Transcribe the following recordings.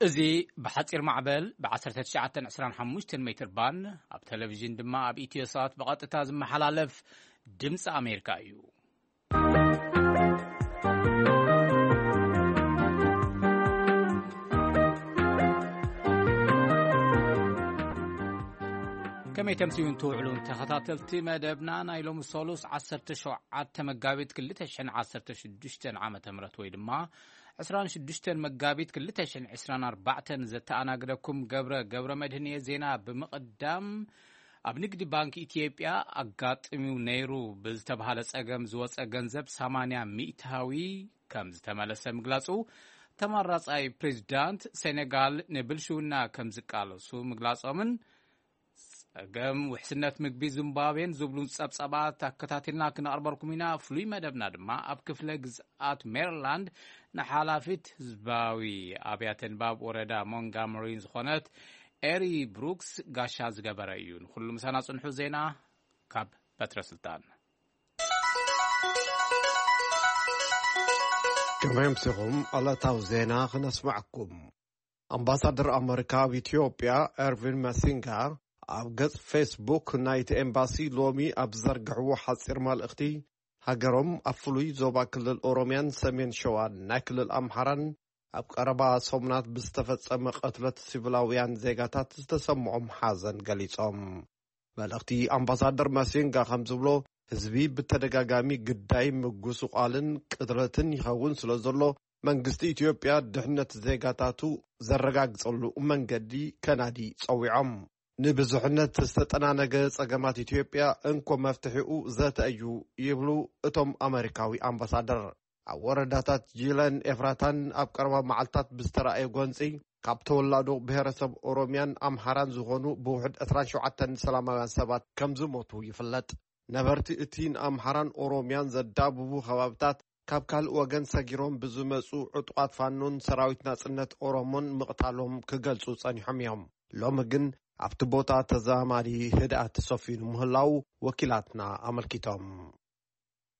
እዚ ብሓጺር ማዕበል ብ1925 ሜትር ባንድ፣ ኣብ ቴሌቪዥን ድማ ኣብ ኢትዮ ሳት ብቐጥታ ዝመሓላለፍ ድምፂ ኣሜሪካ እዩ። ከመይ ተምስዩን ትውዕሉን ተኸታተልቲ መደብና፣ ናይ ሎሚ ሰሉስ 17 መጋቢት 2016 ዓመተ ምህረት፣ ወይ ድማ 26 መጋቢት 2024 ዘተኣናግደኩም ገብረ ገብረ መድህን እየ። ዜና ብምቕዳም፣ ኣብ ንግዲ ባንክ ኢትዮጵያ ኣጋጥሚው ነይሩ ብዝተባሃለ ጸገም ዝወጸ ገንዘብ 80 ሚእታዊ ከም ዝተመለሰ ምግላጹ፣ ተመራጻይ ፕሬዚዳንት ሴኔጋል ንብልሽውና ከም ዝቃለሱ ምግላጾምን፣ ጸገም ውሕስነት ምግቢ ዚምባብዌን ዝብሉ ጸብጸባት ኣከታቲልና ክነቕርበልኩም ኢና። ፍሉይ መደብና ድማ ኣብ ክፍለ ግዝኣት ሜሪላንድ ንሓላፊት ህዝባዊ ኣብያተ ንባብ ወረዳ ሞንጋመሪን ዝኾነት ኤሪ ብሩክስ ጋሻ ዝገበረ እዩ። ንኹሉ ምሳና ጽንሑ። ዜና ካብ በትረ ስልጣን። ከመይ ኣምሲኹም? ዕለታዊ ዜና ክነስማዕኩም። ኣምባሳደር ኣመሪካ ኣብ ኢትዮጵያ ኤርቪን መሲንጋ ኣብ ገጽ ፌስቡክ ናይቲ ኤምባሲ ሎሚ ኣብ ዝዘርግሕዎ ሓጺር መልእኽቲ፣ ሃገሮም ኣብ ፍሉይ ዞባ ክልል ኦሮምያን ሰሜን ሸዋን ናይ ክልል ኣምሓራን ኣብ ቀረባ ሰሙናት ብዝተፈጸመ ቅትለት ሲቪላውያን ዜጋታት ዝተሰምዖም ሓዘን ገሊጾም። መልእኽቲ ኣምባሳደር መሲንጋ ከም ዝብሎ፣ ህዝቢ ብተደጋጋሚ ግዳይ ምጉስቋልን ቅትለትን ይኸውን ስለ ዘሎ፣ መንግስቲ ኢትዮጵያ ድሕነት ዜጋታቱ ዘረጋግጸሉ መንገዲ ከናዲ ጸዊዖም። ንብዙሕነት ዝተጠናነገ ጸገማት ኢትዮጵያ እንኮ መፍትሒኡ ዘተ እዩ ይብሉ እቶም ኣመሪካዊ ኣምባሳደር። ኣብ ወረዳታት ጂለን ኤፍራታን ኣብ ቀረባ መዓልታት ብዝተራእየ ጎንጺ፣ ካብ ተወላዶ ብሄረሰብ ኦሮምያን ኣምሓራን ዝኾኑ ብውሕድ 27 ሰላማውያን ሰባት ከም ዝሞቱ ይፍለጥ። ነበርቲ እቲ ንኣምሓራን ኦሮምያን ዘዳብቡ ከባብታት፣ ካብ ካልእ ወገን ሰጊሮም ብዝመጹ ዕጡቓት ፋኖን ሰራዊት ናጽነት ኦሮሞን ምቕታሎም ክገልጹ ጸኒሖም እዮም። ሎሚ ግን ኣብቲ ቦታ ተዛማዲ ህድኣት ተሰፊኑ ምህላው ወኪላትና ኣመልኪቶም።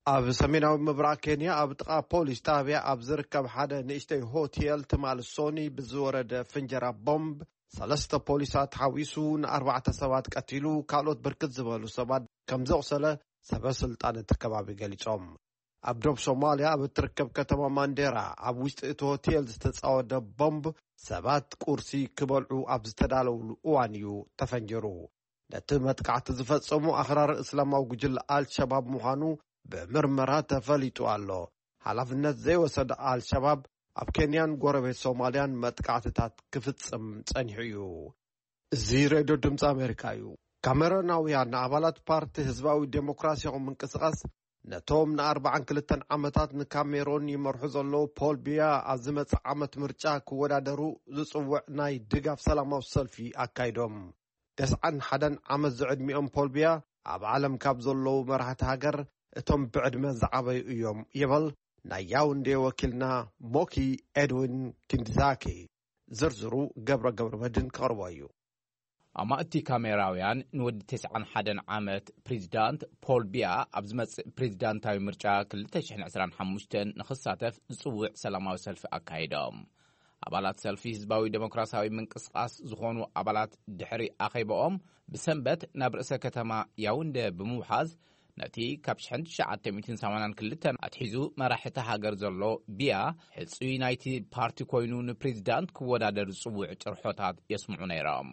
ኣብ ሰሜናዊ ምብራቕ ኬንያ፣ ኣብ ጥቓ ፖሊስ ጣብያ ኣብ ዝርከብ ሓደ ንእሽተይ ሆቴል ትማል ሶኒ ብዝወረደ ፍንጀራ ቦምብ፣ ሰለስተ ፖሊሳት ሓዊሱ ንኣርባዕተ ሰባት ቀቲሉ፣ ካልኦት ብርክት ዝበሉ ሰባት ከም ዘቑሰለ ሰበ ስልጣን እቲ ከባቢ ገሊጾም። ኣብ ዶብ ሶማልያ ኣብ እትርከብ ከተማ ማንዴራ፣ ኣብ ውሽጢ እቲ ሆቴል ዝተጻወደ ቦምብ፣ ሰባት ቁርሲ ክበልዑ ኣብ ዝተዳለውሉ እዋን እዩ ተፈንጂሩ። ነቲ መጥቃዕቲ ዝፈጸሙ ኣኽራሪ እስላማዊ ጉጅለ ኣልሸባብ ምዃኑ ብምርመራ ተፈሊጡ ኣሎ። ሓላፍነት ዘይወሰደ ኣልሸባብ፣ ኣብ ኬንያን ጎረቤት ሶማልያን መጥቃዕትታት ክፍጽም ጸኒሑ እዩ። እዚ ሬድዮ ድምፂ ኣሜሪካ እዩ። ካሜሮናውያን ኣባላት ፓርቲ ህዝባዊ ዴሞክራሲያዊ ምንቅስቓስ፣ ነቶም ን42 ዓመታት ንካሜሮን ይመርሑ ዘለዉ ፖል ቢያ፣ ኣብ ዝመጽእ ዓመት ምርጫ ክወዳደሩ ዝጽውዕ ናይ ድጋፍ ሰላማዊ ሰልፊ ኣካይዶም። 91 ዓመት ዝዕድሚኦም ፖል ቢያ፣ ኣብ ዓለም ካብ ዘለዉ መራሕቲ ሃገር እቶም ብዕድመ ዝዓበዩ እዮም ይብል ናይ ያውንዴ ወኪልና ሞኪ ኤድዊን ኪንድዛኪ። ዝርዝሩ ገብረ ገብረ መድን ከቕርቦ እዩ። ኣማእቲ ካሜራውያን፣ ንወዲ 91 ዓመት ፕሬዚዳንት ፖል ቢያ ኣብ ዝመጽእ ፕሬዚዳንታዊ ምርጫ 2025 ንኽሳተፍ ዝጽውዕ ሰላማዊ ሰልፊ ኣካይዶም። ኣባላት ሰልፊ ህዝባዊ ዴሞክራሲያዊ ምንቅስቓስ ዝኾኑ ኣባላት፣ ድሕሪ ኣኼባኦም፣ ብሰንበት ናብ ርእሰ ከተማ ያውንደ ብምውሓዝ፣ ነቲ ካብ 1982 ኣትሒዙ መራሒ እታ ሃገር ዘሎ ቢያ፣ ሕጹይ ናይቲ ፓርቲ ኮይኑ ንፕሬዚዳንት ክወዳደር ዝጽውዕ ጭርሖታት የስምዑ ነይሮም።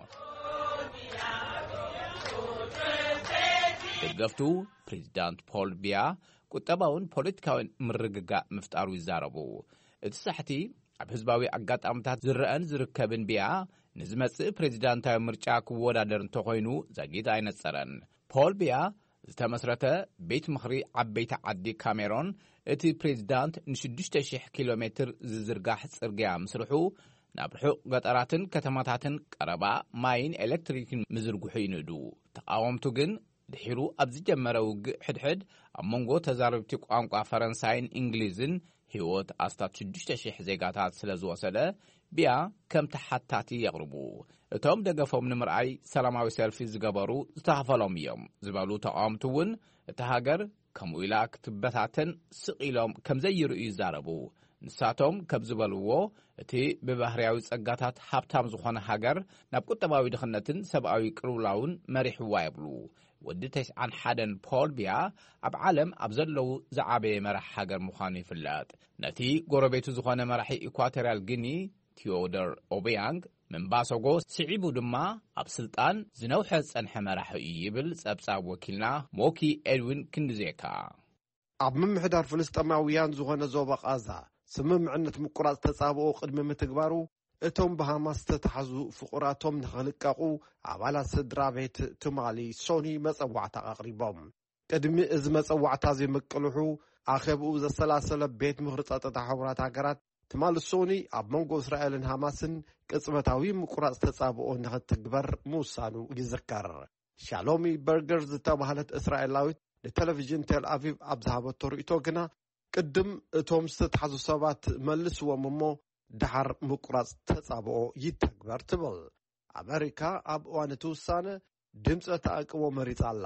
ደገፍቱ፣ ፕሬዚዳንት ፖል ቢያ ቁጠባውን ፖለቲካውን ምርግጋእ ምፍጣሩ ይዛረቡ። እቲ ሳሕቲ ኣብ ህዝባዊ ኣጋጣሚታት ዝረአን ዝርከብን ቢያ፣ ንዝመጽእ ፕሬዚዳንታዊ ምርጫ ክወዳደር እንተኾይኑ ዘግይት ኣይነጸረን። ፖል ቢያ ዝተመስረተ ቤት ምኽሪ ዓበይቲ ዓዲ ካሜሮን፣ እቲ ፕሬዚዳንት ን6,000 ኪሎ ሜትር ዝዝርጋሕ ጽርግያ ምስርሑ፣ ናብ ርሑቕ ገጠራትን ከተማታትን ቀረባ ማይን ኤሌክትሪክን ምዝርግሑ ይንእዱ። ተቓወምቱ ግን፣ ድሒሩ ኣብ ዝጀመረ ውግእ ሕድሕድ፣ ኣብ መንጎ ተዛረብቲ ቋንቋ ፈረንሳይን እንግሊዝን ህይወት ኣስታት 6,000 ዜጋታት ስለ ዝወሰደ፣ ቢያ ከም ተሓታቲ የቕርቡ። እቶም ደገፎም ንምርኣይ ሰላማዊ ሰልፊ ዝገበሩ ዝተኻፈሎም እዮም ዝበሉ ተቓወምቲ እውን፣ እታ ሃገር ከምኡ ኢላ ክትበታተን ስቕ ኢሎም ከም ዘይርእዩ ይዛረቡ። ንሳቶም ከም ዝበልዎ፣ እቲ ብባህርያዊ ጸጋታት ሃብታም ዝኾነ ሃገር ናብ ቁጠባዊ ድኽነትን ሰብኣዊ ቅልውላውን መሪሕዋ ይብሉ። ወዲ ተስዓን ሓደን ፖል ቢያ ኣብ ዓለም ኣብ ዘለዉ ዝዓበየ መራሕ ሃገር ምዃኑ ይፍለጥ። ነቲ ጎረቤቱ ዝኾነ መራሒ ኢኳቶርያል ጊኒ ቲዮደር ኦቢያንግ ምንባሰጎ ስዒቡ ድማ ኣብ ስልጣን ዝነውሐ ዝጸንሐ መራሒ እዩ ይብል ጸብጻብ ወኪልና ሞኪ ኤድዊን ክንድዜካ። ኣብ ምምሕዳር ፍልስጤማውያን ዝኾነ ዞባ ቓዛ ስምምዕነት ምቁራጽ ተጻብኦ ቅድሚ ምትግባሩ፣ እቶም ብሃማስ ዝተታሕዙ ፍቑራቶም ንኽልቀቑ ኣባላት ስድራ ቤት ትማሊ ሶኒ መጸዋዕታ ኣቕሪቦም። ቅድሚ እዚ መጸዋዕታ እዚ ምቅልሑ ኣኼብኡ ዘሰላሰለ ቤት ምኽሪ ጸጥታ ሕቡራት ሃገራት ትማሊ ሶኒ ኣብ መንጎ እስራኤልን ሃማስን ቅጽበታዊ ምቁራጽ ተጻብኦ ንኽትግበር ምውሳኑ ይዝከር። ሻሎሚ በርገር ዝተባህለት እስራኤላዊት ንቴሌቪዥን ቴል ኣቪቭ ኣብ ዝሃበቶ ርእይቶ ግና፣ ቅድም እቶም ዝተታሕዙ ሰባት መልስዎም እሞ፣ ደሓር ምቁራጽ ተጻብኦ ይተግበር ትብል። ኣመሪካ ኣብ እዋን እቲ ውሳነ ድምጸ ተኣቅቦ መሪጻ ኣላ።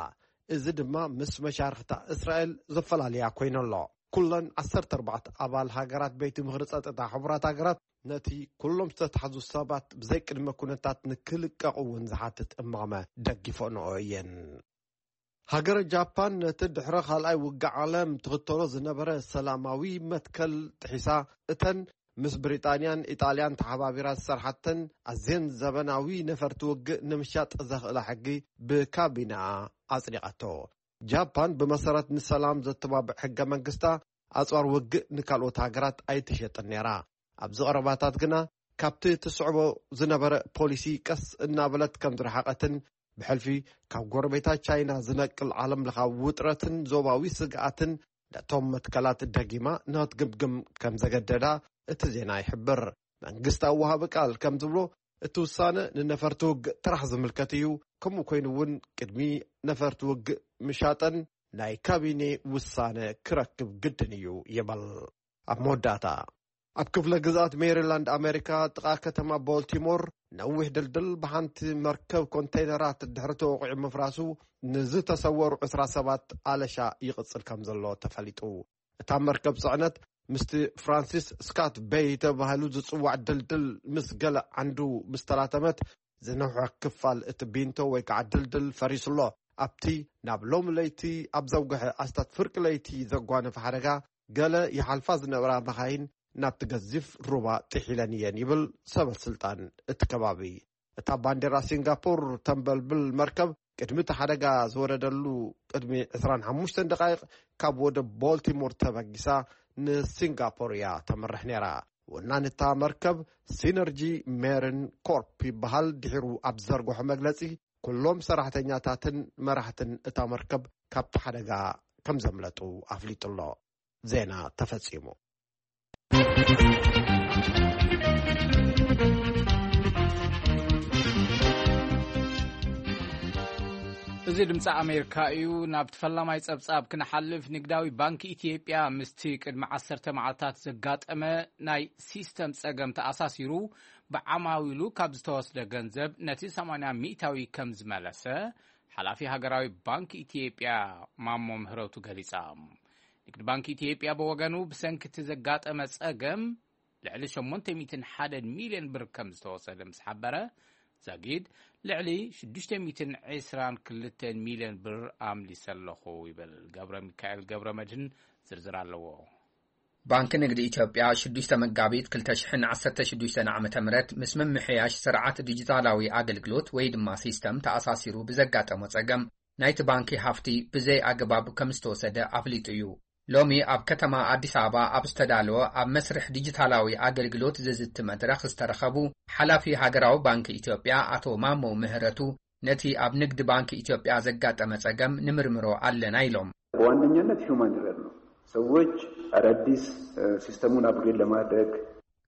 እዚ ድማ ምስ መሻርኽታ እስራኤል ዘፈላልያ ኮይኑ ኣሎ። ኩለን ዓሰርተ ኣርባዕተ ኣባል ሃገራት ቤት ምኽሪ ጸጥታ ሕቡራት ሃገራት ነቲ ኩሎም ዝተታሕዙ ሰባት ብዘይ ቅድመ ኩነታት ንክልቀቑ እውን ዝሓትት እማመ ደጊፈንኦ እየን። ሃገረ ጃፓን ነቲ ድሕሪ ካልኣይ ውግእ ዓለም ትኽተሎ ዝነበረ ሰላማዊ መትከል ጥሒሳ፣ እተን ምስ ብሪጣንያን ኢጣልያን ተሓባቢራ ዝሰርሓተን ኣዝየን ዘበናዊ ነፈርቲ ውግእ ንምሻጥ ዘኽእላ ሕጊ ብካቢነኣ ኣጽዲቓቶ። ጃፓን ብመሰረት ንሰላም ዘተባብዕ ሕገ መንግስታ፣ ኣጽዋር ውግእ ንካልኦት ሃገራት ኣይትሸጥን ነይራ። ኣብዚ ቀረባታት ግና ካብቲ ትስዕቦ ዝነበረ ፖሊሲ ቀስ እናበለት ከም ዝረሓቐትን፣ ብሕልፊ ካብ ጎረቤታ ቻይና ዝነቅል ዓለም ለኻዊ ውጥረትን ዞባዊ ስግኣትን ነቶም መትከላት ደጊማ ንኽትግምግም ከም ዘገደዳ እቲ ዜና ይሕብር። መንግስታዊ ወሃቢ ቃል ከም ዝብሎ፣ እቲ ውሳነ ንነፈርቲ ውግእ ጥራሕ ዝምልከት እዩ። ከምኡ ኮይኑ እውን ቅድሚ ነፈርቲ ውግእ ምሻጠን ናይ ካቢኔ ውሳነ ክረክብ ግድን እዩ ይብል። ኣብ መወዳእታ፣ ኣብ ክፍለ ግዝኣት ሜሪላንድ ኣሜሪካ፣ ጥቓ ከተማ ቦልቲሞር፣ ነዊሕ ድልድል ብሓንቲ መርከብ ኮንተይነራት ድሕሪ ተወቒዑ ምፍራሱ፣ ንዝተሰወሩ ዕስራ ሰባት ኣለሻ ይቕጽል ከም ዘሎ ተፈሊጡ። እታ መርከብ ጽዕነት ምስቲ ፍራንሲስ ስካት ቤይ ተባሂሉ ዝጽዋዕ ድልድል ምስ ገለ ዓንዱ ምስ ተላተመት፣ ዝነውሐ ክፋል እቲ ቢንቶ ወይ ከዓ ድልድል ፈሪሱ ኣሎ። ኣብቲ ናብ ሎም ለይቲ ኣብ ዘውግሐ ኣስታት ፍርቂ ለይቲ ዘጓነፈ ሓደጋ፣ ገለ ይሓልፋ ዝነበራ መኻይን ናብቲ ገዚፍ ሩባ ጥሒለን እየን ይብል ሰበ ስልጣን እቲ ከባቢ። እታ ባንዴራ ሲንጋፖር ተንበልብል መርከብ ቅድሚ እቲ ሓደጋ ዝወረደሉ ቅድሚ ዕስራን ሓሙሽተን ደቃይቕ ካብ ወደብ ቦልቲሞር ተበጊሳ ንሲንጋፖር እያ ተምርሕ ነይራ። ወናን እታ መርከብ ሲነርጂ ሜርን ኮርፕ ይበሃል። ድሒሩ ኣብ ዝዘርግሖ መግለጺ፣ ኩሎም ሰራሕተኛታትን መራሕትን እታ መርከብ ካብቲ ሓደጋ ከም ዘምለጡ ኣፍሊጡ ኣሎ። ዜና ተፈጺሙ። እዚ ድምፂ ኣሜሪካ እዩ። ናብ ፈላማይ ጸብጻብ ክንሓልፍ፣ ንግዳዊ ባንክ ኢትዮጵያ ምስቲ ቅድሚ ዓሰርተ መዓልታት ዘጋጠመ ናይ ሲስተም ጸገም ተኣሳሲሩ፣ ብዓማዊሉ ካብ ዝተወስደ ገንዘብ ነቲ ሰማንያ ሚእታዊ ከም ዝመለሰ ሓላፊ ሃገራዊ ባንክ ኢትዮጵያ ማሞ ምህረቱ ገሊጻ። ንግዲ ባንክ ኢትዮጵያ ብወገኑ፣ ብሰንኪ እቲ ዘጋጠመ ጸገም ልዕሊ ሸሞንተ ሚእትን ሓደን ሚልዮን ብር ከም ዝተወሰደ ምስ ሓበረ፣ ዛጊድ ልዕሊ ሽዱሽተ ሚእትን ዕስራን ክልተን ሚልዮን ብር ኣምሊሰ ኣለኹ ይብል። ገብረ ሚካኤል ገብረ መድህን ዝርዝር ኣለዎ። ባንክ ንግዲ ኢትዮጵያ ሽዱሽተ መጋቢት ክልተ ሽሕን ዓሰርተ ሽዱሽተን ዓመተ ምህረት ምስ ምምሕያሽ ስርዓት ዲጂታላዊ ኣገልግሎት ወይ ድማ ሲስተም ተኣሳሲሩ ብዘጋጠሞ ጸገም ናይቲ ባንኪ ሃፍቲ ብዘይ ኣግባብ ከም ዝተወሰደ ኣፍሊጡ እዩ። ሎሚ ኣብ ከተማ ኣዲስ ኣበባ ኣብ ዝተዳለወ ኣብ መስርሕ ዲጂታላዊ ኣገልግሎት ዝዝቲ መድረኽ ዝተረኸቡ ሓላፊ ሃገራዊ ባንክ ኢትዮጵያ ኣቶ ማሞ ምህረቱ ነቲ ኣብ ንግድ ባንክ ኢትዮጵያ ዘጋጠመ ጸገም ንምርምሮ ኣለና ኢሎም። በዋነኛነት ሂውማን ኤረር ነው። ሰዎች አዳዲስ፣ እ፣ ሲስተሙን አፕግሬድ ለማድረግ።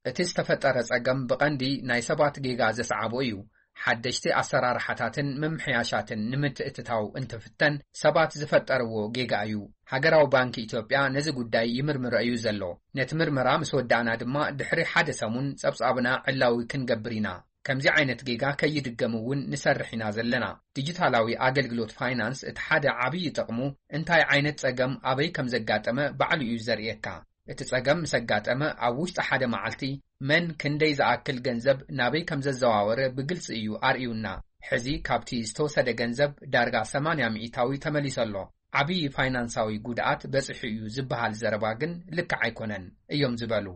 እቲ ዝተፈጠረ ጸገም ብቐንዲ ናይ ሰባት ጌጋ ዘስዓቦ እዩ። ሓደሽቲ ኣሰራርሓታትን ምምሕያሻትን ንምትእትታው እንትፍተን ሰባት ዝፈጠርዎ ጌጋ እዩ። ሃገራዊ ባንክ ኢትዮጵያ ነዚ ጉዳይ ይምርምሮ እዩ ዘሎ። ነቲ ምርመራ ምስ ወዳእና ድማ ድሕሪ ሓደ ሰሙን ጸብጻብና ዕላዊ ክንገብር ኢና። ከምዚ ዓይነት ጌጋ ከይድገም እውን ንሰርሕ ኢና ዘለና። ዲጂታላዊ ኣገልግሎት ፋይናንስ እቲ ሓደ ዓብዪ ጥቕሙ እንታይ ዓይነት ጸገም ኣበይ ከም ዘጋጠመ ባዕሉ እዩ ዘርእየካ። እቲ ጸገም ምስ ኣጋጠመ፣ ኣብ ውሽጢ ሓደ መዓልቲ መን ክንደይ ዝኣክል ገንዘብ ናበይ ከም ዘዘዋወረ ብግልጺ እዩ ኣርእዩና። ሕዚ ካብቲ ዝተወሰደ ገንዘብ ዳርጋ ሰማንያ ሚእታዊ ተመሊሱ ኣሎ። ዓብዪ ፋይናንሳዊ ጉድኣት በጺሑ እዩ ዝበሃል ዘረባ ግን ልክዕ ኣይኮነን እዮም ዝበሉ።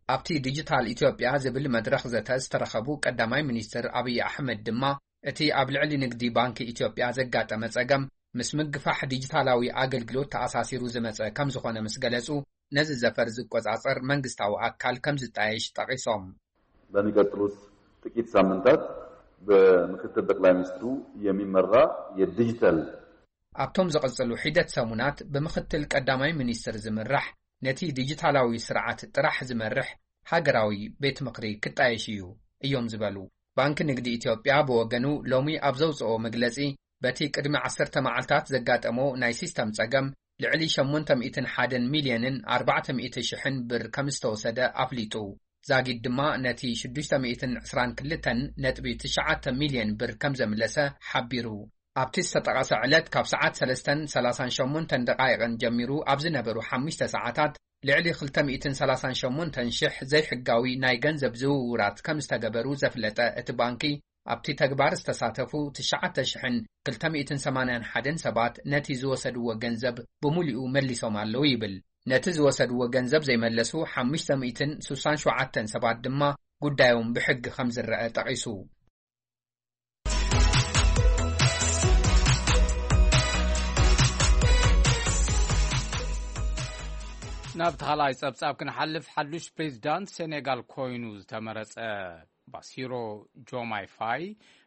ኣብቲ ዲጂታል ኢትዮጵያ ዝብል መድረኽ ዘተ ዝተረኸቡ ቀዳማይ ሚኒስትር ኣብይ ኣሕመድ ድማ፣ እቲ ኣብ ልዕሊ ንግዲ ባንኪ ኢትዮጵያ ዘጋጠመ ጸገም ምስ ምግፋሕ ዲጂታላዊ ኣገልግሎት ተኣሳሲሩ ዝመጸ ከም ዝኾነ ምስ ገለጹ፣ ነዚ ዘፈር ዝቆጻጸር መንግስታዊ ኣካል ከም ዝጣየሽ ጠቒሶም። በሚቀጥሉት ጥቂት ሳምንታት በምክትል ጠቅላይ ሚኒስትሩ የሚመራ የዲጂታል ኣብቶም ዝቕጽሉ ሒደት ሰሙናት ብምክትል ቀዳማይ ሚኒስትር ዝምራሕ ነቲ ዲጂታላዊ ስርዓት ጥራሕ ዝመርሕ ሃገራዊ ቤት ምኽሪ ክጣየሽ እዩ እዮም ዝበሉ። ባንኪ ንግዲ ኢትዮጵያ ብወገኑ ሎሚ ኣብ ዘውጽኦ መግለጺ፣ በቲ ቅድሚ ዓሰርተ መዓልታት ዘጋጠሞ ናይ ሲስተም ጸገም ልዕሊ ሸሞንተ ሚእትን ሓደን ሚልዮንን ኣርባዕተ ሚእቲ ሽሕን ብር ከም ዝተወሰደ ኣፍሊጡ። ዛጊድ ድማ ነቲ ሽዱሽተ ሚእትን ዕስራን ክልተን ነጥቢ ትሽዓተ ሚልዮን ብር ከም ዘምለሰ ሓቢሩ። ኣብቲ ዝተጠቐሰ ዕለት ካብ ሰዓት ሰለስተን ሰላሳን ሸሞንተን ደቓይቕን ጀሚሩ ኣብ ዝነበሩ ሓሙሽተ ሰዓታት ልዕሊ ክልተ ሚእትን ሰላሳን ሸሞንተን ሽሕ ዘይሕጋዊ ናይ ገንዘብ ዝውውራት ከም ዝተገበሩ ዘፍለጠ እቲ ባንኪ፣ ኣብቲ ተግባር ዝተሳተፉ ትሽዓተ ሽሕን ክልተ ሚእትን ሰማንያን ሓደን ሰባት ነቲ ዝወሰድዎ ገንዘብ ብሙሉኡ መሊሶም ኣለዉ ይብል። ነቲ ዝወሰድዎ ገንዘብ ዘይመለሱ ሓሙሽተ ሚእትን ስሳን ሸውዓተን ሰባት ድማ ጉዳዮም ብሕጊ ከም ዝረአ ጠቒሱ። ናብ ተኻላይ ጸብጻብ ክንሓልፍ፣ ሓዱሽ ፕሬዚዳንት ሴኔጋል ኮይኑ ዝተመረጸ ባሲሮ ጆማይ ፋይ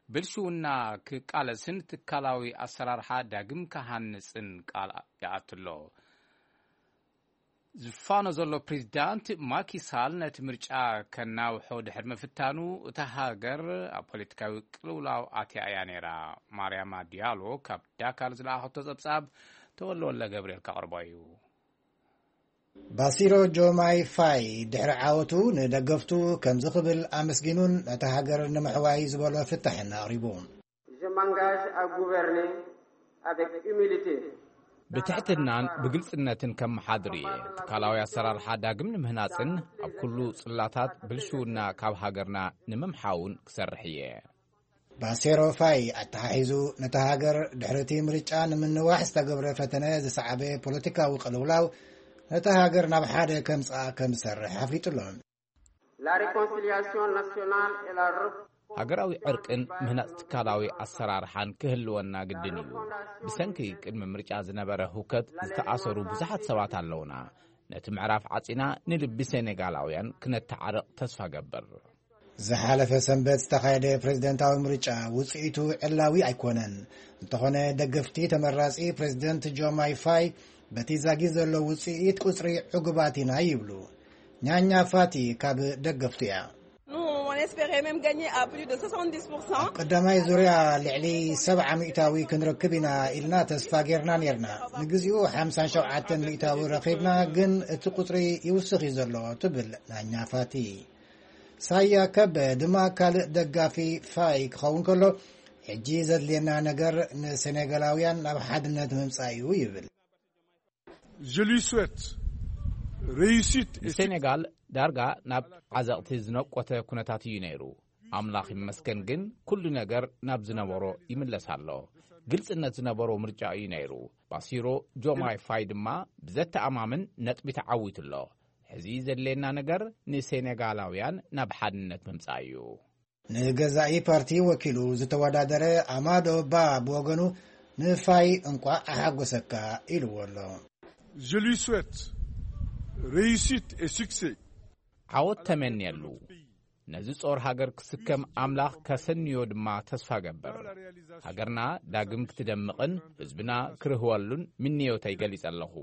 ብልሽውና ክቃለስን ትካላዊ ኣሰራርሓ ዳግም ክሃንጽን ቃል ይኣትሎ። ዝፋኖ ዘሎ ፕሬዚዳንት ማኪሳል ነቲ ምርጫ ከናውሖ ድሕሪ ምፍታኑ፣ እታ ሃገር ኣብ ፖለቲካዊ ቅልውላው ኣትያ እያ ነይራ። ማርያማ ዲያሎ ካብ ዳካር ዝለኣኸቶ ጸብጻብ ተወልደ ወልደ ገብርኤል ከቕርቦ እዩ። ባሲሮ ጆማይ ፋይ ድሕሪ ዓወቱ ንደገፍቱ ከምዚ ክብል ኣመስጊኑን ነታ ሃገር ንምሕዋይ ዝበሎ ፍታሕን ኣቕሪቡ። Je m'engage à gouverner avec humilité. ብትሕትናን ብግልጽነትን ከመሓድር እየ። ትካላዊ ኣሰራርሓ ዳግም ንምህናጽን ኣብ ኩሉ ጽላታት ብልሽውና ካብ ሃገርና ንምምሓውን ክሰርሕ እየ። ባሴሮ ፋይ ኣተሓሒዙ፣ ነታ ሃገር ድሕሪ እቲ ምርጫ ንምንዋሕ ዝተገብረ ፈተነ ዝሰዓበ ፖለቲካዊ ቅልውላው፣ ነታ ሃገር ናብ ሓደ ከምጽኣ ከም ዝሰርሕ ኣፍሊጡ ኣሎ። La réconciliation nationale et la rep- ሃገራዊ ዕርቅን ምህናጽ ትካላዊ ኣሰራርሓን ክህልወና ግድን እዩ። ብሰንኪ ቅድሚ ምርጫ ዝነበረ ህውከት ዝተኣሰሩ ብዙሓት ሰባት ኣለውና። ነቲ ምዕራፍ ዓጺና ንልቢ ሴኔጋላውያን ክነተዓርቕ ተስፋ ገብር። ዝሓለፈ ሰንበት ዝተኻየደ ፕሬዝደንታዊ ምርጫ ውጽኢቱ ዕላዊ ኣይኮነን። እንተኾነ ደገፍቲ ተመራጺ ፕሬዝደንት ጆማይ ፋይ በቲ ዛጊ ዘሎ ውጽኢት ቁጽሪ ዕጉባት ኢና ይብሉ። ኛኛ ፋቲ ካብ ደገፍቱ እያ። Nous, on espérait même gagner à plus de soixante-dix pour cent. ኣብ ቀዳማይ ዙርያ ልዕሊ ሰብዓ ሚእታዊ ክንረክብ ኢና ኢልና ተስፋ ጌርና ኔርና። ንግዚኡ ሓምሳን ሸውዓተን ሚእታዊ ረኺብና፣ ግን እቲ ቁጽሪ ይውስኽ እዩ ዘሎ ትብል ናኛ ፋቲ። ሳያ ከበ ድማ ካልእ ደጋፊ ፋይ ክኸውን ከሎ፣ ሕጂ ዘድልየና ነገር ንሴኔጋላውያን ናብ ሓድነት ምምጻእ እዩ ይብል። Je lui souhaite réussite et ንሴኔጋል ዳርጋ ናብ ዓዘቕቲ ዝነቆተ ኩነታት እዩ ነይሩ። ኣምላኽ ይመስገን ግን ኩሉ ነገር ናብ ዝነበሮ ይምለስ ኣሎ። ግልጽነት ዝነበሮ ምርጫ እዩ ነይሩ። ባሲሮ ጆማይ ፋይ ድማ ብዘተኣማምን ነጥቢ ተዓዊቱ ኣሎ። ሕዚ ዘድልየና ነገር ንሴኔጋላውያን ናብ ሓድነት ምምጻእ እዩ። ንገዛኢ ፓርቲ ወኪሉ ዝተወዳደረ ኣማዶ ባ ብወገኑ ንፋይ እንቋዕ ኣሓጎሰካ ኢልዎ ኣሎ። Je lui souhaite réussite et succès. ዓወት ተመንየሉ። ነዚ ጾር ሃገር ክስከም ኣምላኽ ከሰንዮ ድማ ተስፋ ገብር። ሃገርና ዳግም ክትደምቕን ህዝብና ክርህወሉን ምንዮተይ ገሊጸ ኣለኹ።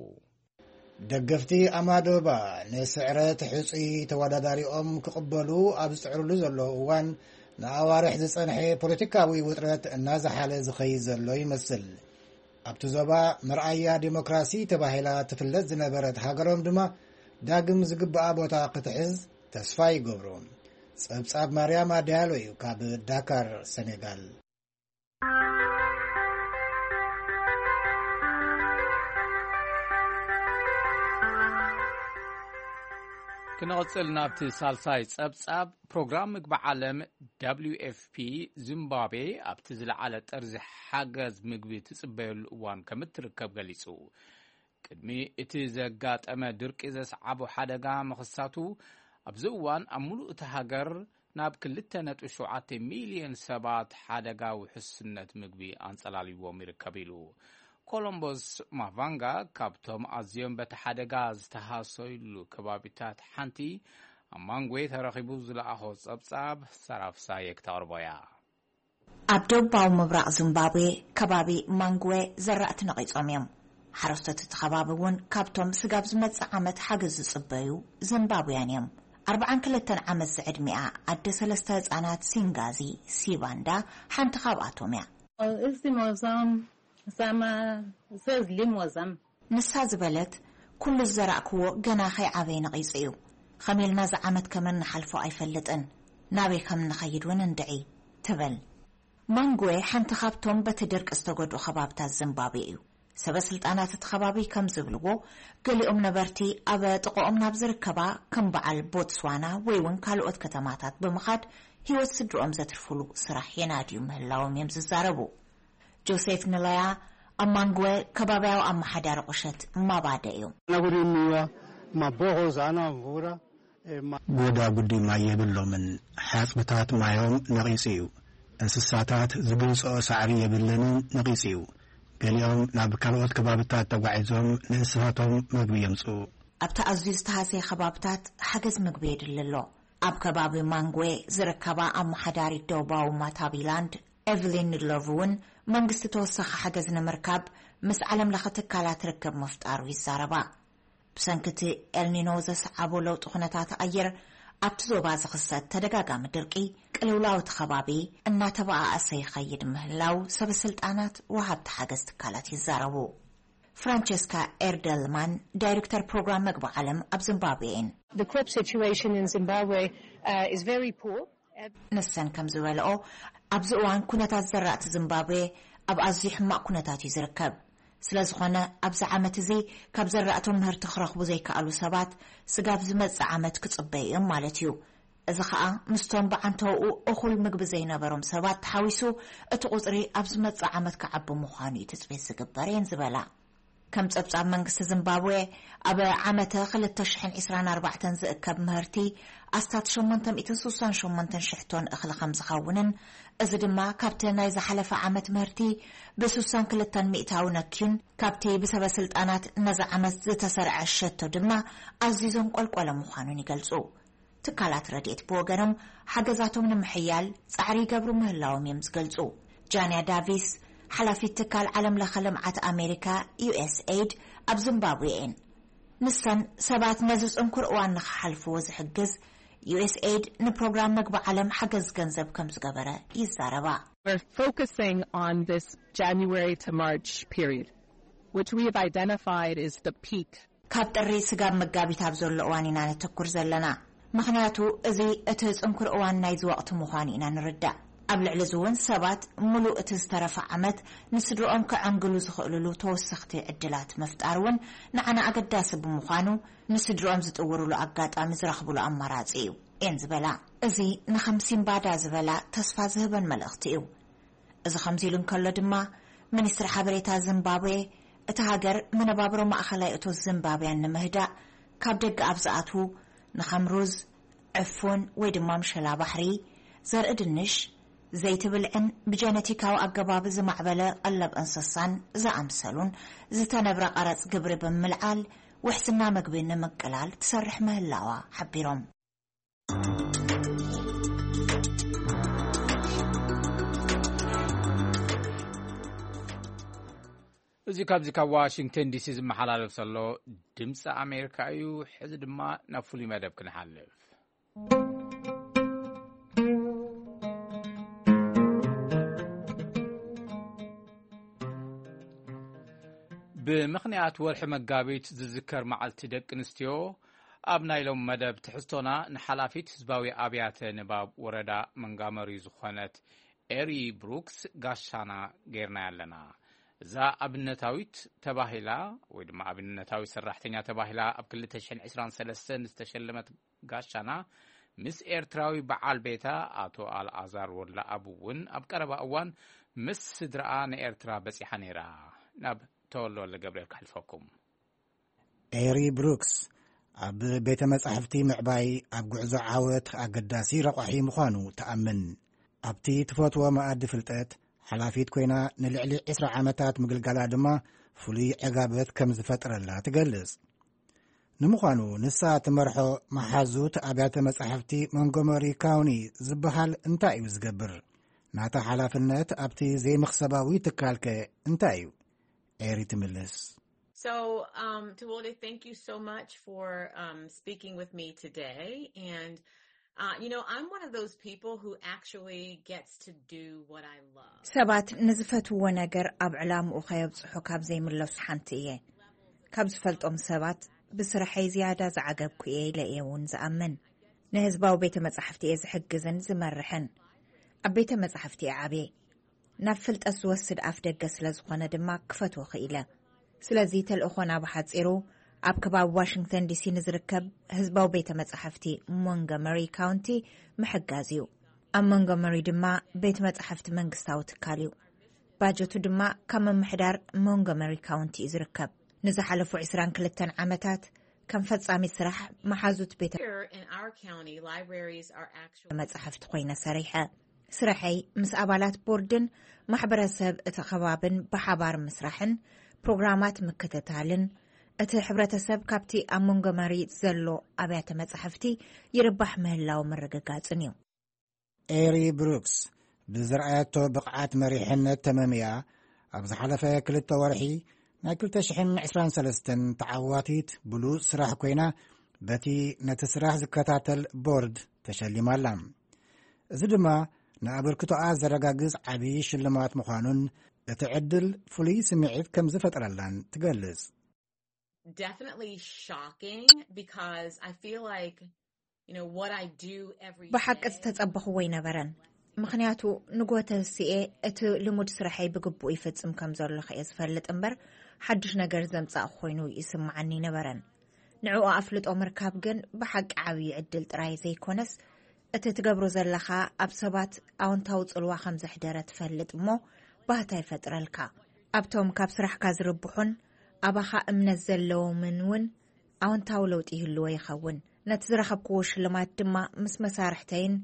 ደገፍቲ ኣማዶባ ንስዕረት ሕጹይ ተወዳዳሪኦም ክቕበሉ ኣብ ዝጽዕሩሉ ዘለዉ እዋን፣ ንኣዋርሕ ዝጸንሐ ፖለቲካዊ ውጥረት እናዝሓለ ዝኸይድ ዘሎ ይመስል። ኣብቲ ዞባ መርኣያ ዲሞክራሲ ተባሂላ ትፍለጥ ዝነበረት ሃገሮም ድማ ዳግም ዝግብኣ ቦታ ክትሕዝ ተስፋ ይገብሩ። ጸብጻብ ማርያማ ዲያሎ እዩ ካብ ዳካር ሰኔጋል። ክነቕጽል ናብቲ ሳልሳይ ጸብጻብ፣ ፕሮግራም ምግቢ ዓለም፣ ደብሊው ኤፍ ፒ፣ ዚምባብዌ ኣብቲ ዝለዓለ ጠርዚ ሓገዝ ምግቢ ትጽበየሉ እዋን ከም እትርከብ ገሊጹ። ቅድሚ እቲ ዘጋጠመ ድርቂ ዘስዓቦ ሓደጋ ምኽሳቱ፣ ኣብዚ እዋን ኣብ ሙሉእ እቲ ሃገር ናብ ክልተ ነጥቢ ሸውዓተ ሚልዮን ሰባት ሓደጋ ውሕስነት ምግቢ ኣንጸላልይዎም ይርከብ ኢሉ። ኮሎምቦስ ማቫንጋ ካብቶም ኣዝዮም በቲ ሓደጋ ዝተሃሰዩሉ ከባቢታት ሓንቲ ኣብ ማንጉዌ ተረኺቡ ዝለኣኾ ጸብጻብ ሰራፍሳየ ክተቕርቦ እያ። ኣብ ደቡባዊ ምብራቕ ዚምባብዌ ከባቢ ማንጉዌ ዘራእቲ ነቒጾም እዮም። ሓረስቶት እቲ ከባቢ እውን ካብቶም ስጋብ ዝመጽእ ዓመት ሓገዝ ዝጽበዩ ዚምባብውያን እዮም። ኣርብዓን ክልተን ዓመት ዝዕድሚኣ ኣደ ሰለስተ ህጻናት ሲንጋዚ ሲባንዳ ሓንቲ ካብኣቶም እያ። Izimo zam zama zezilimo zam ንሳ ዝበለት፣ ኩሉ ዝዘራእክዎ ገና ከይዓበየ ነቒጹ እዩ። ኸም ኢልና እዚ ዓመት ከመን ንሓልፎ ኣይፈልጥን። ናበይ ከም ንኸይድ እውን እንድዒ፣ ትብል። ማንጉዌ ሓንቲ ካብቶም በቲ ድርቂ ዝተጎድኡ ከባብታት ዚምባብዌ እዩ። ሰበ ስልጣናት እቲ ከባቢ ከም ዝብልዎ፣ ገሊኦም ነበርቲ ኣብ ጥቕኦም ናብ ዝርከባ ከም በዓል ቦትስዋና ወይ እውን ካልኦት ከተማታት ብምኻድ ህይወት ስድርኦም ዘትርፍሉ ስራሕ የናድዩ ምህላዎም እዮም ዝዛረቡ። ጆሴፍ ንለያ ኣብ ማንጉወ ከባቢያዊ ኣመሓዳሪ ቁሸት ማባደ እዮም። Nagurimiwa maboho zana mvura. Goda gudi maye billomin. ሓጽብታት ማዮም ነቒጹ እዩ። እንስሳታት ዝግንጽኦ ሳዕሪ የብለንን፣ ነቒጹ እዩ። ገሊኦም ናብ ካልኦት ከባብታት ተጓዒዞም ንእንስሳቶም መግቢ የምጽኡ። ኣብቲ ኣዝዩ ዝተሃስየ ከባብታት ሓገዝ ምግቢ የድሊ ኣሎ። ኣብ ከባቢ ማንጉዌ ዝርከባ ኣመሓዳሪት ደቡባዊ ማታቢላንድ ኤቭሊን ሎቭ እውን መንግስቲ ተወሳኺ ሓገዝ ንምርካብ ምስ ዓለም ለኸ ትካላት ርክብ ምፍጣሩ ይዛረባ። ብሰንኪ እቲ ኤልኒኖ ዘስዓቦ ለውጢ ኩነታት ኣየር ኣብቲ ዞባ ዝኽሰት ተደጋጋሚ ድርቂ ቅልውላው እቲ ከባቢ እናተበኣኣሰ ይኸይድ ምህላው ሰበ ስልጣናት ወሃብቲ ሓገዝ ትካላት ይዛረቡ። ፍራንቸስካ ኤርደልማን ዳይሬክተር ፕሮግራም መግቢ ዓለም ኣብ ዚምባብዌ እየን። The crop situation in Zimbabwe uh, is very poor. ንሰን ከም ዝበልኦ ኣብዚ እዋን ኩነታት ዘራእቲ ዚምባብዌ ኣብ ኣዝዩ ሕማቕ ኩነታት እዩ ዝርከብ። ስለ ዝኾነ ኣብዚ ዓመት እዚ ካብ ዘራእቶም ምህርቲ ክረኽቡ ዘይከኣሉ ሰባት ስጋብ ዝመጽእ ዓመት ክጽበዩ እዮም ማለት እዩ። እዚ ኸኣ ምስቶም ብዓንተውኡ እኹል ምግቢ ዘይነበሮም ሰባት ተሓዊሱ እቲ ቁጽሪ ኣብ ዝመጽእ ዓመት ክዓቢ ምዃኑ እዩ ትጽቢት ዝግበር እየን ዝበላ። ከም ጸብጻብ መንግስቲ ዚምባብዌ ኣብ ዓመተ ክልተ ሽሕን ዕስራን ኣርባዕተን ዝእከብ ምህርቲ ኣስታት ሸሞንተ ሚእትን ስሳን ሸሞንተን ሽሕ ቶን እኽሊ ከም ዝኸውንን እዚ ድማ ካብቲ ናይ ዝሓለፈ ዓመት ምህርቲ ብስሳን ክልተን ሚእታዊ ነክዩን ካብቲ ብሰበ ስልጣናት ነዚ ዓመት ዝተሰርዐ ሸቶ ድማ ኣዝዩ ዘንቆልቆለ ምዃኑን ይገልጹ። ትካላት ረድኤት ብወገኖም ሓገዛቶም ንምሕያል ጻዕሪ ይገብሩ ምህላዎም እዮም ዝገልጹ። ጃንያ ዳቪስ ሓላፊት ትካል ዓለም ለኸ ልምዓት ኣሜሪካ ዩ ኤስ ኤይድ ኣብ ዚምባብዌ እየን። ንሰን ሰባት ነዚ ጽንኩር እዋን ንኽሓልፍዎ ዝሕግዝ ዩ ኤስ ኤይድ ንፕሮግራም መግቢ ዓለም ሓገዝ ገንዘብ ከም ዝገበረ ይዛረባ። We're focusing on this January to March period, which we have identified is the peak. ካብ ጥሪ ስጋብ መጋቢት ኣብ ዘሎ እዋን ኢና ነተኩር ዘለና። ምኽንያቱ እዚ እቲ ጽንኩር እዋን ናይዚ ወቕቲ ምዃኑ ኢና ንርዳእ። ኣብ ልዕሊ እዚ እውን ሰባት ምሉእ እቲ ዝተረፈ ዓመት ንስድርኦም ከዐንግሉ ዝኽእልሉ ተወሰኽቲ ዕድላት ምፍጣር እውን ንዓና ኣገዳሲ ብምዃኑ ንስድርኦም ዝጥውርሉ ኣጋጣሚ ዝረኽብሉ ኣማራጺ እዩ እየን ዝበላ። እዚ ንኸም ሲምባዳ ዝበላ ተስፋ ዝህበን መልእኽቲ እዩ። እዚ ከምዚ ኢሉ እንከሎ ድማ፣ ሚኒስትሪ ሓበሬታ ዚምባብዌ፣ እቲ ሃገር መነባብሮ ማእኸላይ እቶት ዚምባብያን ንምህዳእ ካብ ደገ ኣብ ዝኣትዉ ንኸም ሩዝ፣ ዕፉን ወይ ድማ ምሸላ ባሕሪ፣ ዘርኢ ድንሽ፣ ዘይቲ ብልዕን ብጀነቲካዊ ኣገባብ ዝማዕበለ ቀለብ እንስሳን ዝኣምሰሉን ዝተነብረ ቀረጽ ግብሪ ብምልዓል ውሕስና ምግቢ ንምቅላል ትሰርሕ ምህላዋ ሓቢሮም። እዚ ካብዚ ካብ ዋሽንግተን ዲሲ ዝመሓላለፍ ዘሎ ድምፂ ኣሜሪካ እዩ። ሕዚ ድማ ናብ ፍሉይ መደብ ክንሓልፍ። ብምኽንያት ወርሒ መጋቢት ዝዝከር መዓልቲ ደቂ ኣንስትዮ፣ ኣብ ናይ ሎም መደብ ትሕዝቶና ንሓላፊት ህዝባዊ ኣብያተ ንባብ ወረዳ መንጋመሪ ዝኾነት ኤሪ ብሩክስ ጋሻና ጌርናያ ኣለና። እዛ ኣብነታዊት ተባሂላ ወይ ድማ ኣብነታዊት ሰራሕተኛ ተባሂላ ኣብ ክልተ ሽሕን ዕስራን ሰለስተን ዝተሸለመት ጋሻና ምስ ኤርትራዊ በዓል ቤታ ኣቶ ኣልኣዛር ወላ ኣቡ እውን ኣብ ቀረባ እዋን ምስ ስድራኣ ንኤርትራ በጺሓ ነይራ። ናብ ተወልደ ወልደ ገብርኤል ክሕልፈኩም። ኤሪ ብሩክስ ኣብ ቤተ መጻሕፍቲ ምዕባይ ኣብ ጉዕዞ ዓወት ኣገዳሲ ረቋሒ ምዃኑ ትኣምን። ኣብቲ ትፈትዎ መኣዲ ፍልጠት ሓላፊት ኮይና ንልዕሊ ዕስራ ዓመታት ምግልጋላ ድማ ፍሉይ ዕጋበት ከም ዝፈጠረላ ትገልጽ። ንምዃኑ ንሳ ትመርሖ መሓዙት ኣብያተ መጻሕፍቲ ሞንጎመሪ ካውኒ ዝበሃል እንታይ እዩ ዝገብር? ናታ ሓላፍነት ኣብቲ ዘይመኽሰባዊ ትካልከ እንታይ እዩ? ኤሪ ትምልስ። So, um, Tawole, thank you so much for um, speaking with me today. And, uh, you know, I'm one of those people who actually gets to do what I love. ሰባት ንዝፈትዎ ነገር ኣብ ዕላምኡ ከየብጽሑ ካብ ዘይምለሱ ሓንቲ እየ። ካብ ዝፈልጦም ሰባት ብስራሐይ ዝያዳ ዝዓገብኩ እየ ኢለ እየ እውን ዝኣምን። ንህዝባዊ ቤተ መጻሕፍቲ እየ ዝሕግዝን ዝመርሕን። ኣብ ቤተ መጻሕፍቲ እየ ዓብየ። ናብ ፍልጠት ዝወስድ ኣፍ ደገ ስለ ዝኾነ ድማ ክፈትዎ ክኢለ። ስለዚ ተልእኾና ብሓጺሩ ኣብ ከባቢ ዋሽንግተን ዲሲ ንዝርከብ ህዝባዊ ቤተ መጻሕፍቲ ሞንጎመሪ ካውንቲ ምሕጋዝ እዩ። ኣብ ሞንጎመሪ ድማ ቤት መጻሕፍቲ መንግስታዊ ትካል እዩ። ባጀቱ ድማ ካብ ምምሕዳር ሞንጎመሪ ካውንቲ እዩ ዝርከብ። ንዝሓለፉ ዕስራን ክልተን ዓመታት ከም ፈጻሚት ስራሕ መሓዙት ቤተ Here in our county, libraries are actually መጻሕፍቲ ኮይነ ሰሪሐ። ስርሐይ ምስ ኣባላት ቦርድን ማሕበረሰብ እቲ ከባብን ብሓባር ምስራሕን ፕሮግራማት ምክትታልን እቲ ሕብረተሰብ ካብቲ ኣብ ሞንጎመሪ ዘሎ ኣብያተ መጻሕፍቲ ይርባሕ ምህላው ምርግጋጽን እዩ። ኤሪ ብሩክስ ብዝረኣየቶ ብቕዓት መሪሕነት ተመምያ ኣብ ዝሓለፈ ክልተ ወርሒ ናይ ክልተ ሽሕን ዕስራን ሰለስተን ተዓዋቲት ብሉጽ ስራሕ ኮይና በቲ ነቲ ስራሕ ዝከታተል ቦርድ ተሸሊማ ኣላ። እዚ ድማ ንኣበርክቶኣ ዘረጋግጽ ዓቢ ሽልማት ምዃኑን እቲ ዕድል ፍሉይ ስምዒት ከም ዝፈጠረላን ትገልጽ። Definitely shocking because I feel like, you know, what I do every ብሓቂ day ዝተጸበኽዎ ኣይነበረን። ምኽንያቱ ንጎተንስኤ እቲ ልሙድ ስራሐይ ብግቡእ ይፍጽም ከም ዘለኹ እየ ዝፈልጥ እምበር ሓድሽ ነገር ዘምጻእ ኮይኑ ይስምዓኒ ኣይነበረን። ንዕኡ ኣፍልጦ ምርካብ ግን ብሓቂ ዓብዪ ዕድል ጥራይ ዘይኮነስ እቲ ትገብሮ ዘለኻ ኣብ ሰባት ኣወንታዊ ጽልዋ ከም ዘሕደረ ትፈልጥ እሞ ባህታ ይፈጥረልካ። ኣብቶም ካብ ስራሕካ ዝርብሑን ኣባኻ እምነት ዘለዎምን እውን ኣወንታዊ ለውጢ ይህልዎ ይኸውን። ነቲ ዝረኸብክዎ ሽልማት ድማ ምስ መሳርሕተይን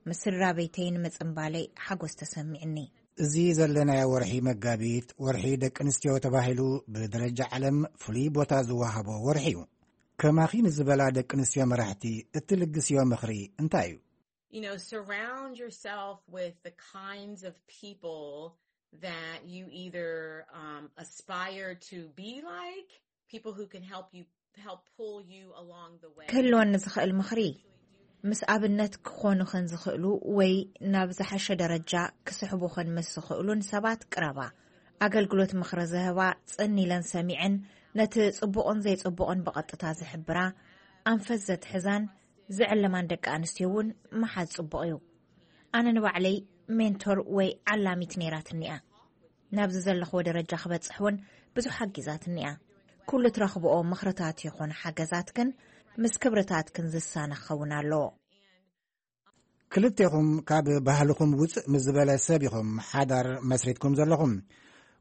ምስ ስድራ ቤተይን ምጽንባለይ ሓጎስ ተሰሚዕኒ። እዚ ዘለናዮ ወርሒ መጋቢት ወርሒ ደቂ ኣንስትዮ ተባሂሉ ብደረጃ ዓለም ፍሉይ ቦታ ዝወሃቦ ወርሒ እዩ። ከማኺ ንዝበላ ደቂ ኣንስትዮ መራሕቲ እትልግስዮ ምኽሪ እንታይ እዩ? You know, surround yourself with the kinds of people that you either um, aspire to be like, people who can help you, help pull you along the way. ክህልወኒ ዝኽእል ምኽሪ ምስ ኣብነት ክኾኑኽን ዝኽእሉ ወይ ናብ ዝሓሸ ደረጃ ክስሕቡኽን ምስ ዝኽእሉን ሰባት ቅረባ። ኣገልግሎት ምኽሪ ዝህባ ጽን ኢለን ሰሚዐን ነቲ ጽቡቕን ዘይጽቡቕን ብቐጥታ ዝሕብራ ኣንፈት ዘትሕዛን ዝዕለማን ደቂ ኣንስትዮ እውን ምሓዝ ጽቡቕ እዩ። ኣነ ንባዕለይ ሜንቶር ወይ ዓላሚት ነይራትኒ እያ። ናብዚ ዘለኽዎ ደረጃ ክበጽሕ እውን ብዙሕ ሓጊዛትኒ እያ። ኩሉ ትረኽብኦ ምኽርታት ይኹን ሓገዛት ግን ምስ ክብርታትክን ዝሳነ ክኸውን ኣለዎ። ክልቴኹም ካብ ባህልኹም ውፅእ ምስ ዝበለ ሰብ ኢኹም ሓዳር መስሪትኩም ዘለኹም።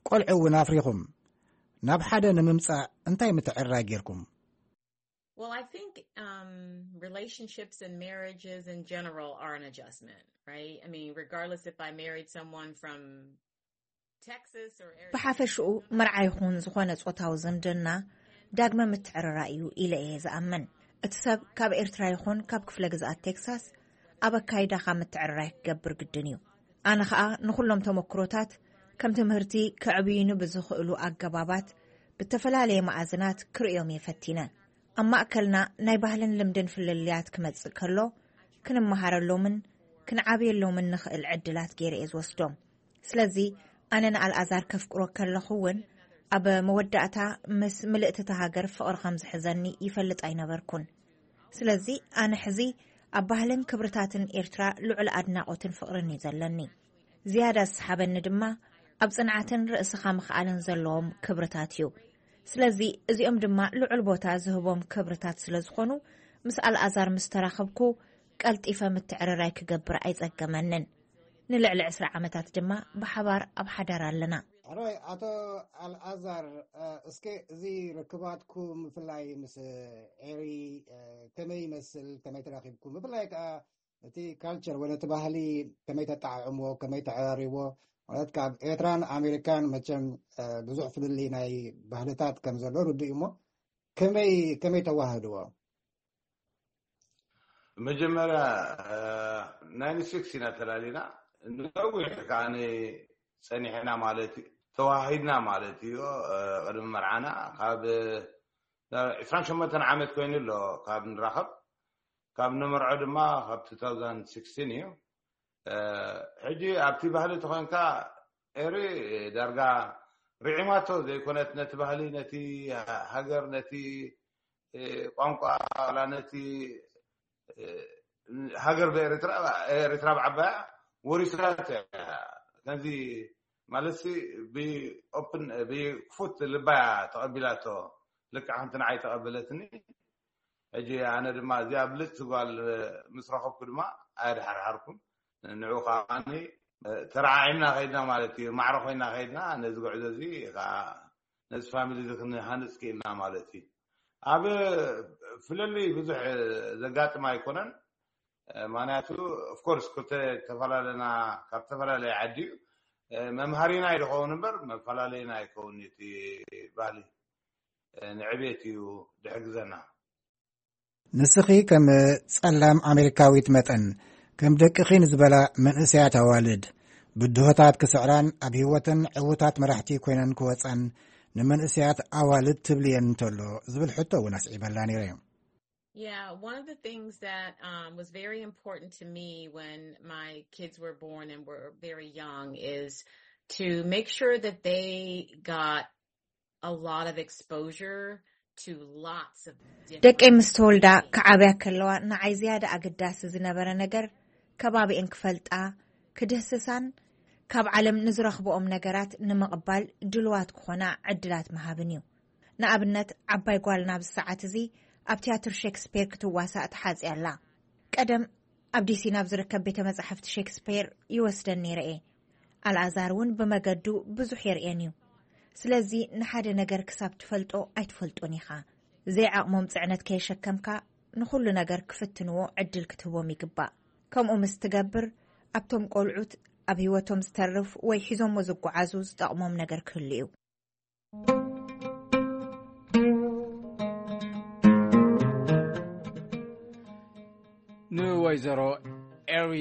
ቆልዑ እውን ኣፍሪኹም። ናብ ሓደ ንምምፃእ እንታይ ምትዕርራይ ጌርኩም? Well, I think um, relationships and marriages in general are an adjustment, right? I mean, regardless if I married someone from Texas or Arizona. ብሓፈሽኡ መርዓ ይኹን ዝኾነ ጾታዊ ዝምድና ዳግመ ምትዕርራይ እዩ ኢለ እየ ዝኣምን። እቲ ሰብ ካብ ኤርትራ ይኹን ካብ ክፍለ ግዝኣት ቴክሳስ ኣብ ኣካይዳኻ ምትዕርራይ ክገብር ግድን እዩ። ኣነ ኸኣ ንኹሎም ተመክሮታት ከም ትምህርቲ ከዕብዩኒ ብዝኽእሉ ኣገባባት ብተፈላለየ መኣዝናት ክርእዮም እየ ፈቲነ። ኣብ ማእከልና ናይ ባህልን ልምድን ፍልልያት ክመጽእ ከሎ ክንመሃረሎምን ክንዓብየሎምን ንኽእል ዕድላት ገይረ እየ ዝወስዶም። ስለዚ ኣነ ንኣልኣዛር ከፍቅሮ ከለኹ እውን ኣብ መወዳእታ ምስ ምልእቲ እታ ሃገር ፍቕሪ ከም ዝሕዘኒ ይፈልጥ ኣይነበርኩን። ስለዚ ኣነ ሕዚ ኣብ ባህልን ክብርታትን ኤርትራ ልዑል ኣድናቖትን ፍቕርን እዩ ዘለኒ። ዝያዳ ዝሰሓበኒ ድማ ኣብ ጽንዓትን ርእስኻ ምኽኣልን ዘለዎም ክብርታት እዩ። ስለዚ እዚኦም ድማ ልዑል ቦታ ዝህቦም ክብርታት ስለ ዝኾኑ ምስ ኣልኣዛር ምስ ተራኸብኩ፣ ቀልጢፈ ምትዕርራይ ክገብር ኣይጸገመንን። ንልዕሊ ዕስራ ዓመታት ድማ ብሓባር ኣብ ሓዳር ኣለና። ሕራይ ኣቶ ኣልኣዛር፣ እ፣ እስከ እዚ ርክባትኩም ብፍላይ ምስ ኤሪ፣ እ፣ ከመይ ይመስል፣ ከመይ ተራኺብኩም፣ ብፍላይ ከኣ እቲ ካልቸር ወይ ነቲ ባህሊ ከመይ ተጣዕዕምዎ፣ ከመይ ተዕራርይዎ? ማለት ካብ ኤርትራን ኣሜሪካን መቸም፣ እ፣ ብዙሕ ፍልልይ ናይ ባህልታት ከም ዘሎ ርዱእ እዩ እሞ፣ ከመይ፣ ከመይ ተዋህድዎ? መጀመርያ፣ እ፣ ናይንቲ ሲክስ ኢና ተላሊና። ነዊሕ ከኣ ጸኒሕና ማለት እዩ። ተዋሂድና ማለት እዩ። እ፣ ቅድሚ መርዓና ካብ፣ እ፣ ዕስራን ሸሞንተን ዓመት ኮይኑ ኣሎ ካብ ንራኸብ። ካብ ንመርዖ ድማ ካብ ቱ ታውዘንድ ሲክስቲን እዩ። እ፣ ሕጂ ኣብቲ ባህሊ ተኾይንካ ኤሪ ዳርጋ ርዒማቶ ዘይኮነት ነቲ ባህሊ፣ ነቲ ሃገር፣ ነቲ፣ እ፣ ቋንቋ፣ ዋላ ነቲ፣ እ፣ ሃገር ብኤርትራ፣ ኤርትራ ብዓባያ ወሪሳቶ እያ። ከምዚ ማለትሲ ብኦፕን፣ ብክፉት ልባያ ተቐቢላቶ። ልክዕ ከምቲ ንዓይ ተቐበለትኒ። ሕጂ ኣነ ድማ እዚኣ ብልጽቲ ጓል ምስ ረኸብኩ ድማ ኣየድሓርሓርኩን። ንዑ ከዓኒ ተረዓዒምና ከይድና ማለት እዩ። ማዕረ ኮይና ከይድና ነዚ ጉዕዞ እዚ ከዓ ነዚ ፋሚሊ እዚ ክንሃንጽ ክኢልና ማለት እዩ። ኣብ ፍልልይ ብዙሕ ዘጋጥም ኣይኮነን። ምክንያቱ ኦፍኮርስ ክልተ ተፈላለና ካብ ዝተፈላለየ ዓዲ እዩ። መምሃሪና እዩ ዝኸውን እምበር መፈላለይና ኣይከውን እቲ ባህሊ። ንዕቤት እዩ ዝሕግዘና። ንስኺ ከም ጸላም ኣሜሪካዊት መጠን፣ ከም ደቅኺ ንዝበላ መንእሰያት ኣዋልድ፣ ብድሆታት ክስዕራን ኣብ ህይወተን ዕዉታት መራሕቲ ኮይነን ክወጻን ንመንእሰያት ኣዋልድ ትብልየን እንተሎ ዝብል ሕቶ እውን ኣስዒበላ ነይረ። Yeah, one of the things that um, was very important to me when my kids were born and were very young is to make sure that they got a lot of exposure to lots of different ደቀይ ምስ ተወልዳ ክዓብያ ከለዋ ንዓይ ዝያዳ ኣገዳሲ ዝነበረ ነገር ከባቢኤን ክፈልጣ፣ ክድህስሳን ካብ ዓለም ንዝረኽብኦም ነገራት ንምቕባል ድልዋት ክኾና ዕድላት ምሃብን እዩ። ንኣብነት ዓባይ ጓልና ኣብዚ ሰዓት እዚ ኣብ ትያትር ሼክስፔር ክትዋሳእ ተሓጽያ ኣላ። ቀደም ኣብ ዲሲ ናብ ዝርከብ ቤተ መጻሕፍቲ ሼክስፔር ይወስደን ነይረ እየ። ኣልኣዛር እውን ብመገዱ ብዙሕ የርእየን እዩ። ስለዚ ንሓደ ነገር ክሳብ ትፈልጦ ኣይትፈልጦን ኢኻ። ዘይዓቕሞም ጽዕነት ከየሸከምካ ንኹሉ ነገር ክፍትንዎ ዕድል ክትህቦም ይግባእ። ከምኡ ምስ ትገብር ኣብቶም ቆልዑት ኣብ ህይወቶም ዝተርፍ ወይ ሒዞሞ ዝጓዓዙ ዝጠቕሞም ነገር ክህሉ እዩ። ንወይዘሮ ኤሪ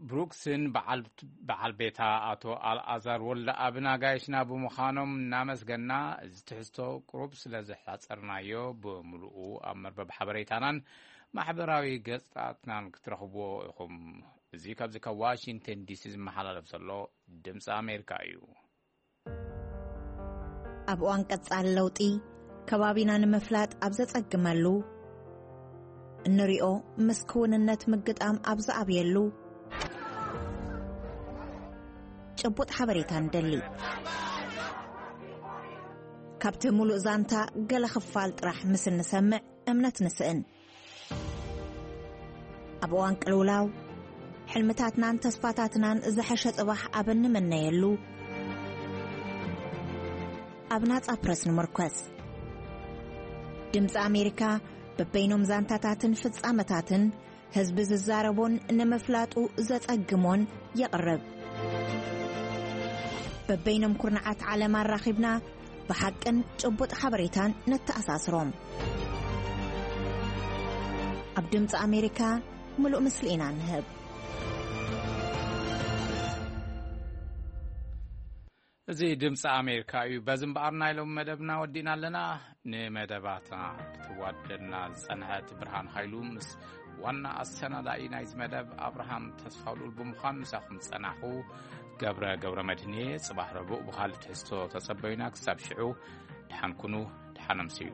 ብሩክስን በዓል ቤታ ኣቶ ኣልኣዛር ወልደኣብን ኣጋይሽና ብምዃኖም እናመስገና፣ እዚ ትሕዝቶ ቁሩብ ስለ ዘሕጻጸርናዮ፣ ብምሉኡ ኣብ መርበብ ሓበሬታናን ማሕበራዊ ገጻትናን ክትረኽብዎ ኢኹም። እዚ ካብዚ ካብ ዋሽንግተን ዲሲ ዝመሓላለፍ ዘሎ ድምፂ ኣሜሪካ እዩ። ኣብ እዋን ቀጻሊ ለውጢ፣ ከባቢና ንምፍላጥ ኣብ ዘጸግመሉ፣ እንሪኦ ምስ ክውንነት ምግጣም ኣብ ዝኣብየሉ፣ ጭቡጥ ሓበሬታ ንደሊ። ካብቲ ምሉእ ዛንታ ገለ ክፋል ጥራሕ ምስ እንሰምዕ እምነት ንስእን። ኣብ እዋን ቅልውላው፣ ሕልምታትናን ተስፋታትናን ዝሐሸ ጽባሕ ኣብ እንምነየሉ፣ ኣብ ናጻ ፕረስ ንምርኮስ። ድምጺ ኣሜሪካ በበይኖም ዛንታታትን ፍጻመታትን ህዝቢ ዝዛረቦን ንምፍላጡ ዘጸግሞን የቕርብ። በበይኖም ኩርናዓት ዓለም ኣራኺብና ብሓቅን ጭቡጥ ሓበሬታን ነተኣሳስሮም። ኣብ ድምፂ ኣሜሪካ ምሉእ ምስሊ ኢና ንህብ። እዚ ድምፂ ኣሜሪካ እዩ። በዚ እምበኣር ናይ ሎም መደብና ወዲእና ኣለና። ንመደባትና ክትዋደድና ዝፀንሐት ብርሃን ሃይሉ ምስ ዋና ኣሰናዳኢ ናይዚ መደብ ኣብርሃም ተስፋውሉል ብምዃን ምሳኹም ዝፀናኹ ገብረ ገብረ መድህን እየ። ፅባሕ ረቡዕ ብኻልእ ትሕዝቶ ተፀበዩና። ክሳብ ሽዑ ደሓን ኩኑ፣ ደሓን ኣምስዩ።